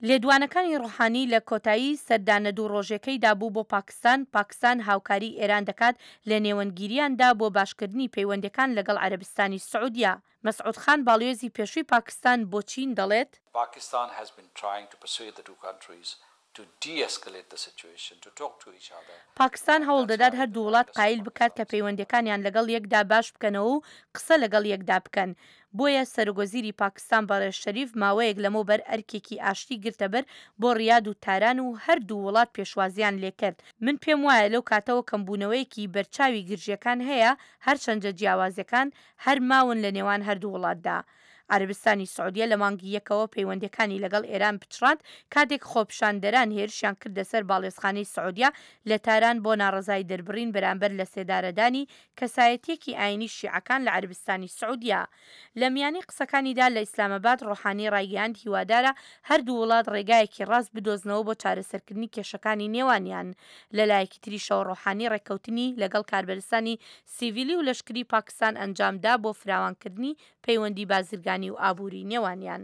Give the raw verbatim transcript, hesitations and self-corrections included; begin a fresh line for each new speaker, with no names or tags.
لێدوانەکانی ڕۆحانی لە کۆتایی سەردانە دوو ڕۆژێکەیدا بوو بۆ پاکستان، پاکستان هاوکاری ئێران دەکات لە نێوەندگیریاندا بۆ باشکردنی پەیوەندیەکان لەگەڵ عەرەبستانی سعودیە. مەسعود خان باڵیۆزی پێشووی پاکستان بۆ چین دەڵێت،
Pakistan has been trying to persuade the two countries to de-escalate the situation, to talk to each other.
پاکستان هەوڵ دەدات هەردوو وڵات قایل بکات کە پەیوەندیەکانیان لەگەڵ یەکدا باش بکەنەوە و قسە لەگەڵ یەکدا بکەن. بۆیە سەرۆکوەزیری پاکستان بەڕێز شەریف ماوەیەک لەمەوبەر ئەرکێکی ئاشتی گرتەبەر بۆ ڕیاد و تاران و هەردوو وڵات پێشوازیان لێکرد. من پێم وایە لەو کاتەوە کەمبوونەوەیەکی بەرچاوی گرژیەکان هەیە، هەرچەندە جیاوازیەکان هەر ماون لە نێوان هەردوو وڵاتدا. عەرەبستانی سعودیە لە مانگی یەکەوە پەیوەندیەکانی لەگەڵ ئێران پچڕاند کاتێک خۆپیشاندەران هێرشیان کردە سەر باڵیۆزخانەی سعودیە لە تاران بۆ ناڕەزایی دەربڕین بەرامبەر لە سێدارەدانی کەسایەتیەکی ئاینی شیعەکان لە عەرەبستانی سعودیە. لە میانی قسەکانیدا لە ئیسلاماباد ڕۆحانی ڕایگەیاند هیوادارە هەردوو وڵات ڕێگایەکی ڕاست بدۆزنەوە بۆ چارەسەرکردنی کێشەکانی نێوانیان. لەلایەکی تریشەوە ڕۆحانی ڕێککەوتنی لەگەڵ کاربەدەستانی سیڤیلی و لەشکری پاکستان ئەنجامدا بۆ فراوانکردنی پەیوەندی بازرگانی و ئابووری نێوانیان.